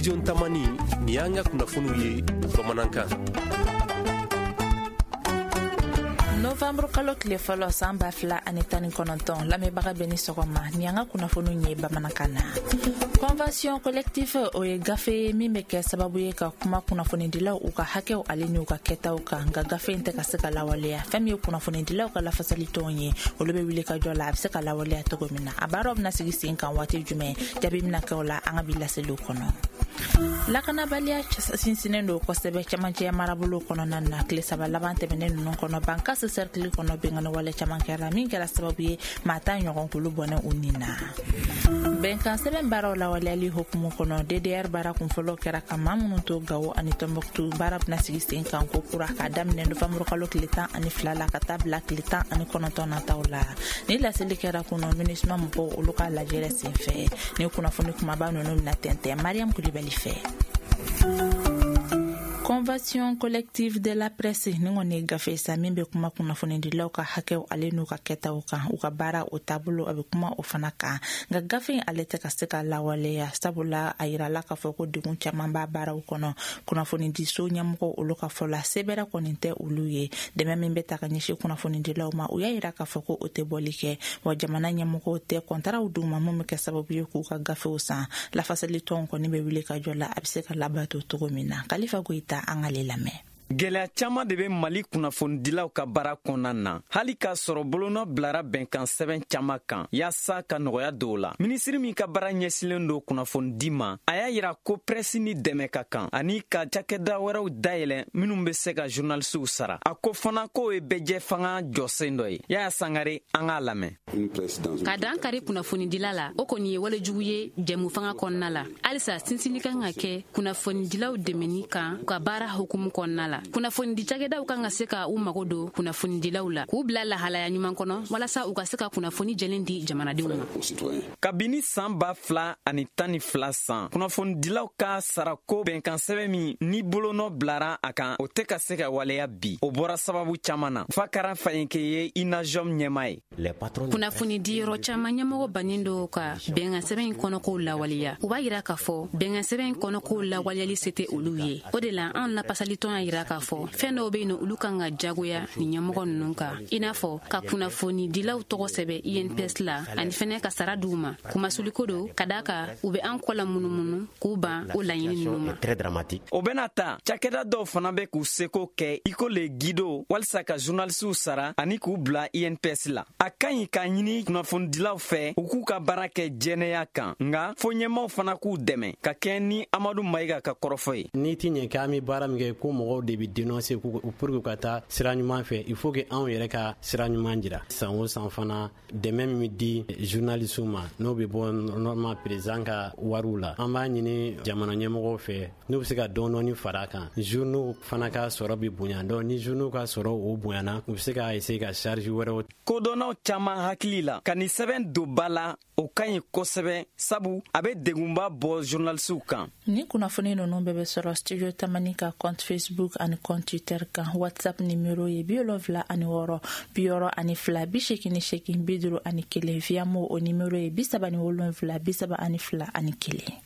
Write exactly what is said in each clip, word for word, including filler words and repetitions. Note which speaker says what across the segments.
Speaker 1: Studio Tamani, nin y'an ka kunnafoniw ye bamanankan.
Speaker 2: Novembre kalo tile fɔlɔ san ba fila ani tan ni kɔnɔntɔn, lamɛnbaga bɛ ni sɔgɔma, ni an ka kunnafoniw ye bamanankan na. Convention collective, o ye gafe ye min bɛ kɛ sababu ye ka kuma kunnafonidilaw u ka hakɛw ale n'u ka kɛtaw kan, nka gafe in tɛ ka se ka lawaleya. Fɛn min ye kunnafonidilaw ka lafasalitɔnw ye, olu bɛ wuli ka jɔ la a bɛ se ka lawaleya cogo min na. A baaraw bɛna sigi sen kan waati jumɛn, jaabi bɛna kɛ o la an ka bi laseliw kɔnɔ. Lakanabaliya sinsinnen don kosɛbɛ cɛmancɛ marabolo kɔnɔna na. Tile saba laban tɛmɛnen ninnu kɔnɔ, Bankass cercle kɔnɔ, binkanni wale caman kɛra min kɛra sababu ye maa tan ɲɔgɔn k'olu bɔnɛ u nin na. Bɛnkan sɛbɛn baaraw lawaleyali hukumu kɔnɔ, D D R baara kunfɔlɔ kɛra ka maa minnu to Gawo ani Tɔnbɔkutu, baara bɛna sigi sen kan ko kura k'a daminɛ novanburu kalo tile tan ani fila la ka taa bila tile tan ani kɔnɔntɔn nataw la. Ni laseli kɛra kɔnɔ MINUSMA mɔgɔw olu ka lajɛrɛ senfɛ. Ni kunnafoni kumaba ninnu bɛna tɛntɛn Mariam Kulibali fɛ. Convention collective de la presse, ni kɔni ye gafe sa min bɛ kuma kunnafonidilaw ka hakɛw ale n'u ka kɛtaw kan, u ka baara o taabolo, a bɛ kuma o fana kan, nka gafe in ale tɛ ka se ka lawaleya, sabula a yirala k'a fɔ ko degun caman b'a baaraw kɔnɔ. Kunnafonidiso ɲɛmɔgɔw olu ka fɔ la, sebɛrɛ kɔni tɛ olu ye. Dɛmɛ min bɛ ta ka ɲɛsin kunnafonidilaw ma, u y'a yira k'a fɔ ko o tɛ bɔli kɛ, wa jamana ɲɛmɔgɔw tɛ kɔntaraw d'u ma mun bɛ kɛ sababu ye k'u ka gafew san. Lafasalitɔnw kɔni bɛ wuli ka jɔ la a bɛ se ka labato cogo min na. Kalifa Goyita, an k'ale lamɛn.
Speaker 3: Gwɛlɛya caaman de bɛ Mali kunnafonidilaw ka baara kɔnɔna na, hali k'a sɔrɔ bolonɔ bilara bɛnkan sɛbɛn caaman kan yaasa ka nɔgɔya don o la. Minisiri min ka baara ɲɛsilen don kunnafonidi ma, a y'a yira ko prɛsi ni dɛmɛ ka kan ani ka cakɛda wɛrɛw dayɛlɛ minw be se ka journalisiw sara. A ko fana k'o ye bɛɛjɛ fanga jɔsen dɔ ye. Yaya Sangare, an k'a lamɛn.
Speaker 4: Ka dan kari kunnafonidila la, o kɔni ye walejugu ye jɛmu fanga kɔnɔna la. Halisa sinsinni kan ka kɛ kunnafonidilaw dɛmɛni kan u ka baara hukumu kɔnɔna la. Kunnafonidi cakɛdaw kan ka se ka u mago don kunnafonidilaw la, k'u bila lahalaya ɲuman kɔnɔ, walasa u ka se ka kunnafoni jɛlen di jamanadenw ma.
Speaker 3: Kabini saan ba fila ani tan ni fila san, kunnafonidilaw ka sarako bɛnkan sɛbɛn min ni bolonɔ bilara a kan, o tɛ ka se ka waleya bi. O bɔra sababu caaman na. Fakara Fayinke ye INAJOM ɲɛma ye.
Speaker 4: Kunnafoni diyɔrɔ caman ɲɛmɔgɔ bannen do ka bɛnkan sɛbɛn in kɔnɔkow lawaleya. U b'a yira k'a fɔ bɛnkan sɛbɛn in kɔnɔkow lawaleyali se tɛ olu ye. O de la anw lapasalitɔn y'a yira k'a fɔ fɛn dɔw be yen nɔ, olu kan ka jagoya ni ɲɛmɔgɔ ninnu kan, i n'a fɔ ka kunnafonidilaw tɔgɔ sɛbɛ I N P S la, ani fɛnɛ ka sara d'u ma. Kumasuliko do ka daa ka u be an kɔ la munumunu k'u ban o laɲini ninnu ma.
Speaker 3: O bena ta cakɛda dɔw fana bɛ k'u seko kɛ i ko Le Guido, walisa ka journalisiw sara ani k'u bila I N P S la. A ka ɲi k'a ɲini kunnafonidilaw fɛ u k'u ka baara kɛ jɛnɛya kan, nga fo ɲɛmaw fana k'u dɛmɛ ka kɛɲɛ ni Amadu Mayiga ka kɔrɔfɔ ye.
Speaker 5: N'i ti ɲɛ k'an bɛ baara min kɛ, ko mɔgɔw de bɛ dénoncer pour que ka taa sira ɲuman fɛ, il faut que anw yɛrɛ ka sira ɲuman jira. San o san fana, dɛmɛ min bɛ di journalistes ma, n'o bɛ bɔ normalement président ka wariw la, an b'a ɲini jamana ɲɛmɔgɔw fɛ n'u bɛ se ka dɔɔni dɔɔni fara a kan. Journaux fana ka sɔrɔ bɛ bonya, donc ni journaux ka sɔrɔ o bonyana, u bɛ se ka essayer ka charge wɛrɛw.
Speaker 3: Kodɔnnaw caaman hakili la, ka nin sɛbɛn don ba la, o ka ɲi kosɛbɛ, sabu a bɛ degunba bɔ journalisiw kan.
Speaker 2: Ni kunnafoni ninnu bɛɛ bɛ sɔrɔ Studio Tamani ka compte Facebook ani compte Twitter kan. WhatsApp nimero ye bi wolonfila ani wɔɔrɔ bi wɔɔrɔ ani fila bi seegin ni seegin bi duuru ani kelen. Viamo, o nimero ye bi saba ni wolonfila bi saba ani fila ani kelen.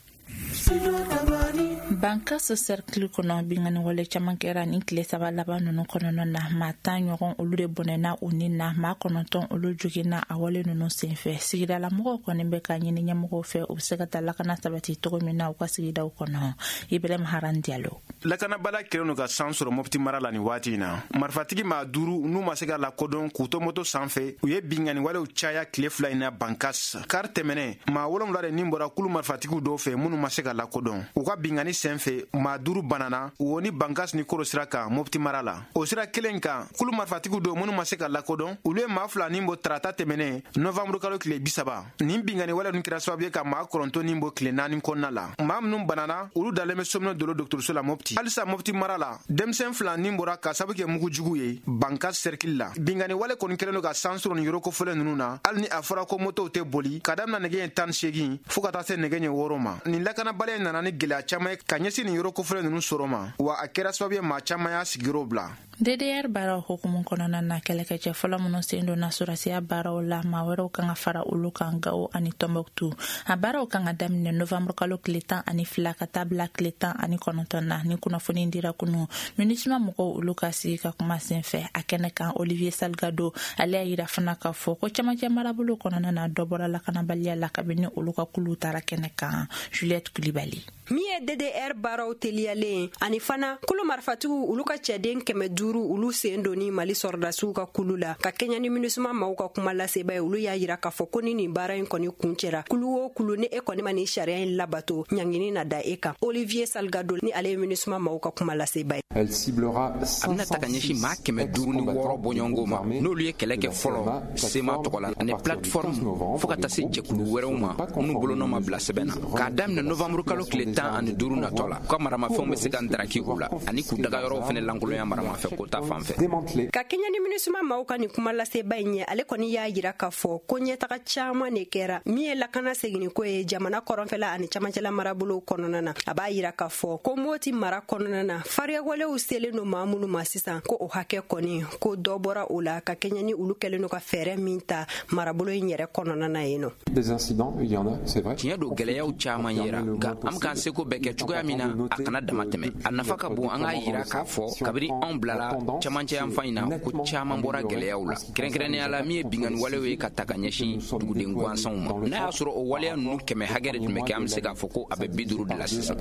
Speaker 2: Bankass cercle kɔnɔ, binkanni wale caman kɛra nin tile saba laban ninnu kɔnɔna na. Maa tan ɲɔgɔn olu de bɔnɛna u ni na, maa kɔnɔntɔn olu joginna a wale ninnu senfɛ. Sigidalamɔgɔw kɔni bɛ ka ɲini ɲɛmɔgɔw fɛ u bɛ se ka taa lakana sabati cogo min na u ka sigidaw kɔnɔ. Ibrahim Haran Diallo.
Speaker 6: Lakanabala kɛlen don ka san sɔrɔ Mɔpti mara la nin waati in na. Marifatigi maa duuru n'u ma se ka lakodɔn k'u to moto sanfɛ, u ye binkanni walew caya tile fila in na Bankas. Kari tɛmɛnɛ, maa wolonwula de nin bɔra kulu marifatigiw dɔw fɛ minnu ma se ka lakodɔn. U ka binkanni sen fɛ, maa duuru banana wo ni Bankas ni Koro sira kan Mopti mara la. O sira kelen kan, kulu marifatigiw dɔw minnu ma se ka lakodɔn, olu ye maa fila nin bɔ tarata tɛmɛnɛ, novanburu kalo tile bi saba. Nin binkanni wale ninnu kɛra sababu ye ka maa kɔnɔntɔn nin bɔ tile naani kɔnɔna la. Maa minnu banana, olu dalen bɛ Sominɛ Dolo dɔgɔtɔrɔso la Mopti. Halisa Mopti mara la, denmisɛn fila nin bɔra ka sababu kɛ mugu jugu ye Bankas cercle la. Binkanni wale kɔni kɛlen don ka san sɔrɔ nin yɔrɔ kofɔlen ninnu na, hali ni a fɔra ko motow tɛ boli ka damina nɛgɛ ɲɛ tan ni seegin fɔɔ ka taa se nɛgɛ ɲɛ wɔɔrɔ ma. Nin lakanabaliya nana ni gwɛlɛya caman ye ka ka ɲɛsin nin yɔrɔ kofɔlen ninnu sɔrɔ ma, wa a kɛra sababu ye maa caman y'a sigiyɔrɔ bila.
Speaker 2: D D R baaraw hukumu kɔnɔna na, kɛlɛkɛcɛ fɔlɔ minnu sen donna sɔrɔdasiya baaraw la, maa wɛrɛw kan ka fara olu kan Gawo ani Tɔnbɔkutu. A baaraw kan ka daminɛ novanburu kalo tile tan ani fila ka taa bila tile tan ani kɔnɔntɔn na. Ni kunnafoni dira kunu MINUSMA mɔgɔw olu ka sigi ka kuma sen fɛ. A kɛnɛ kan, Olivier Salgado ale y'a yira fana k'a fɔ ko camancɛ marabolo kɔnɔna na, dɔ bɔra lakanabaliya la kabini olu ka kuluw taara kɛnɛ kan. Juliette Kulibali.
Speaker 7: Min ye D D R baaraw teliyalen ani fana kulu marifatigiw olu ka cɛden kɛmɛ duuru olu sen donni Mali sɔrɔdasiw ka kulu la ka kɛɲɛ ni MINUSMA maaw ka kuma laseba ye, olu y'a yira k'a fɔ ko ni nin baara in kɔni kun cɛra, kulu o kulu ni e kɔni ma nin sariya in labato, ɲangini na da e kan. Olivier Salgado ni ale ye MINUSMA maaw ka kuma laseba ye.
Speaker 8: A bɛna ta ka ɲɛsin maa kɛmɛ duuru ni wɔɔrɔ bɔɲɔgɔnko ma, n'olu ye kɛlɛ kɛ fɔlɔ C M A tɔgɔ la ani plateforme, fɔɔ ka taa se jɛkulu wɛrɛw ma minnu bolonɔ ma bila sɛbɛn na. K'a daminɛ novanburu kalo tile tan ani duuru natɔ la, u ka maramafɛnw bɛ se ka ndaraki u la ani k'u dagayɔrɔw fɛnɛ lankolonya maramafɛn ko ta fan fɛ.
Speaker 7: Ka kɛɲɛ ni MINUSMA maaw ka nin kuma laseba in ye, ale kɔni y'a yira k'a fɔ ko ɲɛtaga caaman de kɛra min ye lakana seginniko ye jamana kɔrɔnfɛla ani camancɛla marabolow kɔnɔna na. A b'a yira k'a fɔ ko Moti mara kɔnɔna na, fariyawalew selen no maa minnu ma sisan, ko o hakɛ kɔni ko dɔ bɔra o la ka kɛɲɛ ni olu kɛlen no ka fɛɛrɛ min ta marabolo in yɛrɛ kɔnɔna na yen nɔ.
Speaker 8: Tiɲɛ don, gwɛlɛyaw caaman yera, nka an be k'an seko bɛɛ kɛ cogoya min na a kana dama tɛmɛ. A nafa ka bon an k'a yira k'a fɔ kabini anw bilala camancɛ yanfan in na, ko caaman bɔra gwɛlɛyaw la, kɛrɛnkɛrɛnnenya la min ye bingani walew ye ka ta ka ɲɛsin duguden gansanw ma. N'a y'a sɔrɔ o waleya ninnu kɛmɛ hakɛ de tun bɛ kɛ, an be se k'a fɔ ko a bɛ bi duuru de la sisan.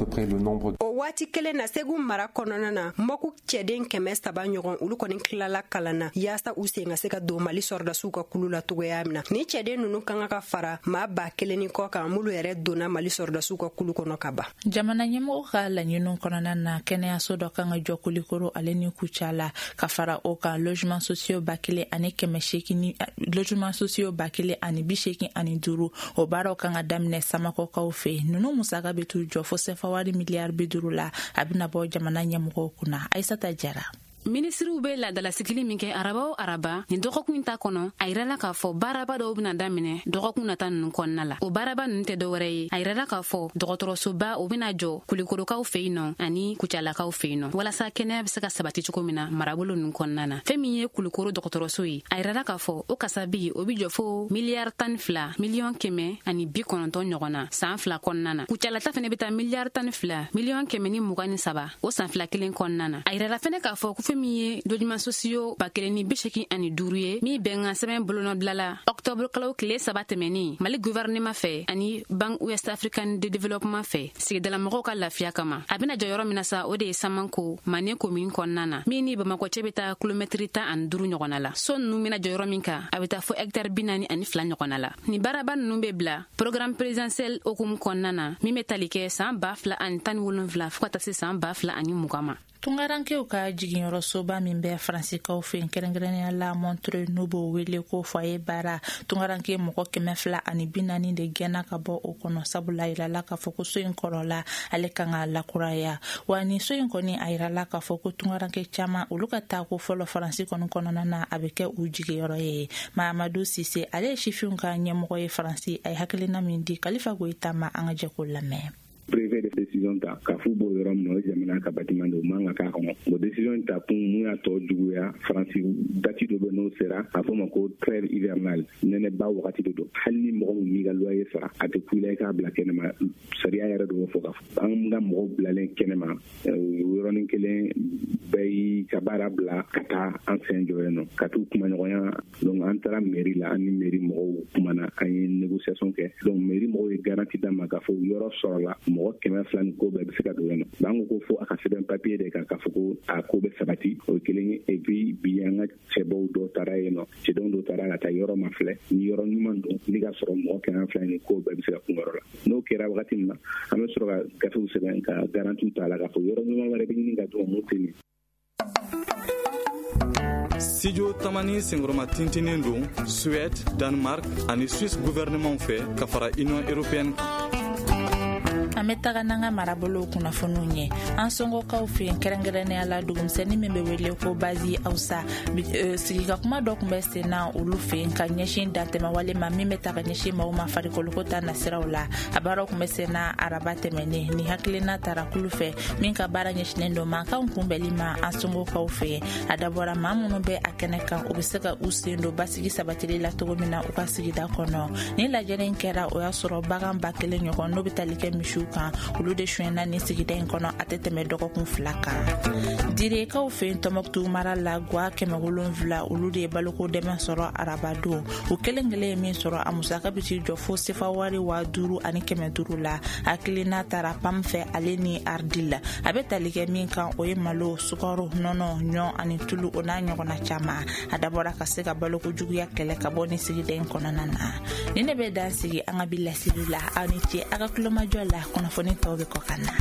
Speaker 7: O waati kelen na, Segu mara kɔnɔna na, Mɔku cɛden kɛmɛ saba ɲɔgɔn olu kɔni tilala kalan na yaasa u sen ka se ka don Mali sɔrɔdasiw ka kulu la cogoya min na. Ni cɛden nunu kan ka fara maa ba kelen ni kɔ kan minnu yɛrɛ donna Mali sɔrɔdasiw ka kulu kɔnɔ ka ban.
Speaker 2: Jamana ɲɛmɔgɔ ka laɲiniw kɔnɔna na, kɛnɛyaso dɔ kan ka jɔ Kulikoro ale ni Kucala. Ka fara o kan, logement sociaux ba kelen ani kɛmɛ seegin, logement sociaux ba kelen ani bi seegin ani duuru, o baaraw kan ka daminɛ Samakɔkaw fɛ. Ninnu musaka bɛ t'u jɔ fo sefa wari miliyari bi duuru la. A bɛna bɔ jamana ɲɛmɔgɔw kunna. Ayisata Jara.
Speaker 4: Minisiriw be ladalasigili min kɛ araba o araba, nin dɔgɔkun ta kɔnɔ, a yirala k'a fɔ baaraba dɔw bena daminɛ dɔgɔkun nata nunu kɔnɔna la. O baaraba nunu tɛ dɔwɛrɛ ye, a yirala k'a fɔ dɔgɔtɔrɔsoba o bena jɔ Kulikorokaw fɛ yen nɔ ani Kucalakaw fɛ yen nɔ, walasa kɛnɛya be se ka sabati cogo min na marabolo nunu kɔnɔna na. Fɛn min ye Kulikoro dɔgɔtɔrɔso ye, a yirala k'a fɔ o kasabi o bi jɔ fo miliyari tan fila miliyɔn kɛmɛ ani bi kɔnɔntɔn ɲɔgɔn na saan fila kɔnɔna na. Kucalata fɛnɛ be taa miliyari tan fila miliyɔn kɛmɛ ni mugan ni saba o san fila kelen kɔnɔna na. A yirala fɛnɛ k'a fɔ ko fɛn min ye logements sociaux ba kelen ni bi seegin ani duuru ye, min bɛnkan sɛbɛn bolonɔbilala la ɔktɔburu kalo tile saba tɛmɛnin Mali gouvernement fɛ ani Banque Ouest Africaine de Développement fɛ sigidalamɔgɔw ka lafiya kama, a bena jɔ yɔrɔ min na sa, o de ye Samanko Mane commune kɔnɔna na, min ni Bamakɔ cɛ be taa kilomɛtiri tan ani duuru ɲɔgɔnna la. So nunu bena jɔ yɔrɔ min kan, a be taa fo hɛktare bi naani ani fila ɲɔgɔnna la. Nin baaraba nunu be bila programme présidentiel hokumu kɔnɔna na, min be tali kɛ saan ba fila ani tan ni wolonfila fɔɔ ka taa se saan ba fila ani mugan ma.
Speaker 2: Tungarankew ka jiginyɔrɔsoba min bɛ Faransikaw fɛ yen, kɛrɛnkɛrɛnnenya la Montreuil, n'u b'o wele ko foyer bara, tungaranke mɔgɔ kɛmɛ fila ani bi naani de gɛnna ka bɔ o kɔnɔ, sabula yirala k'a fɔ ko so in kɔrɔla, ale kan ka lakuraya. Wa nin so in kɔni, a yirala k'a fɔ ko tungaranke caman olu ka taa ko fɔlɔ Faransi kɔni kɔnɔna na, a bɛ kɛ u jigiyɔrɔ ye. Mahamadu Sise, ale ye sifinw ka ɲɛmɔgɔ ye Faransi, a ye hakilina min di Kalifa Goyita ma, an ka jɛ k'o lamɛn.
Speaker 9: Préfet de décision ta k'a f'u b'o yɔrɔ min na, o ye jamana ka bâtiment de, o man ka k'a kɔnɔ. Bon, décision ta kun mun y'a tɔ juguya, Faransi date dɔ bɛ, n'o sera, a fɔ ma ko trêve hivernale, nɛnɛba wagati de don. Hali ni mɔgɔ min m'i ka loyer sara, a tɛ ku i la i k'a bila kɛnɛma. Sariya yɛrɛ de b'o fɔ. Ka fɔ an ka mɔgɔw bilalen kɛnɛma, yɔrɔnin kelen bɛɛ y'i ka baara bila ka taa an sen jɔ yen nɔ ka t'u kumaɲɔgɔnya. Donc an taara mairie la, an ni mairie mɔgɔw kumana, an ye négociation kɛ. Donc mairie mɔgɔw ye garantie d'an ma k'a fɔ yɔrɔ sɔrɔla, mɔgɔ kɛmɛ fila ni ko bɛɛ bɛ se ka don yen nɔ. An ko ko fo a ka sɛbɛn papier de kan k'a fɔ ko a ko bɛ sabati, o ye kelen ye. Et puis bi an ka cɛbaw dɔw taara yen nɔ, cɛdenw dɔw taara ka taa yɔrɔ ma filɛ ni yɔrɔ ɲuman don, ni ka sɔrɔ mɔgɔ kɛmɛ fila ni ko bɛɛ bɛ se ka kun yɔrɔ la. N'o kɛra wagati min na, an bɛ sɔrɔ ka gafew sɛbɛn ka garantie ta a la k'a fɔ yɔrɔ ɲuman wɛrɛ bɛ ɲini ka d'u ma mun tɛ nin.
Speaker 10: Studio Tamani senkɔrɔma tintinin don Suède, Danemark ani Suisse gouvernement fɛ ka fara Union européenne kan.
Speaker 2: An bɛ taga n'an ka marabolow kunnafoniw ye. An sɔngɔkaw fɛ yen, kɛrɛnkɛrɛnnenya la dugumisɛnnin min bɛ wele ko Bazi Awusa, sigika kuma dɔ tun bɛ sen na olu fɛ yen ka ɲɛsin dantɛmɛwale ma min bɛ ta ka ɲɛsin maaw ma farikoloko ta nasiraw la. A baaraw tun bɛ sen na araba tɛmɛnen. Ni hakilina tara kulu fɛ min ka baara ɲɛsinnen don mankanw kunbɛnli ma an sɔngɔkaw fɛ yen. A dabɔra maa minnu bɛ a kɛnɛ kan, u bɛ se ka u sen don basigi sabatili la cogo min na u ka sigida kɔnɔ. Ni lajɛrɛ in kɛra, o y'a sɔrɔ bagan ba kelen ɲɔgɔn n'o bɛ tali kɛ misiw kan, olu de sonyɛna nin sigida in kɔnɔ a tɛ tɛmɛ dɔgɔkun fila kan. Direkaw fɛ yen Tɔnbɔkutu mara la, gwa kɛmɛ wolonwula olu de ye baloko dɛmɛ sɔrɔ arabadon. U kelen kelen ye min sɔrɔ, a musaka bɛ t'i jɔ fo sefa wari waa duuru ani kɛmɛ duuru la. Hakilina taara PAM fɛ ale ni Ardil la. A bɛ tali kɛ min kan, o ye malo, sukaro, nɔnɔ, ɲɔ ani tulu, o n'a ɲɔgɔnna caman. A dabɔra ka se ka baloko juguya kɛlɛ ka bɔ nin sigida in kɔnɔna na. Ni ne bɛ dan sigi an ka bi laseliw la. Aw ni ce aw ka tulomajɔ la. Kunnafoni tɔw bɛ kɔ ka na.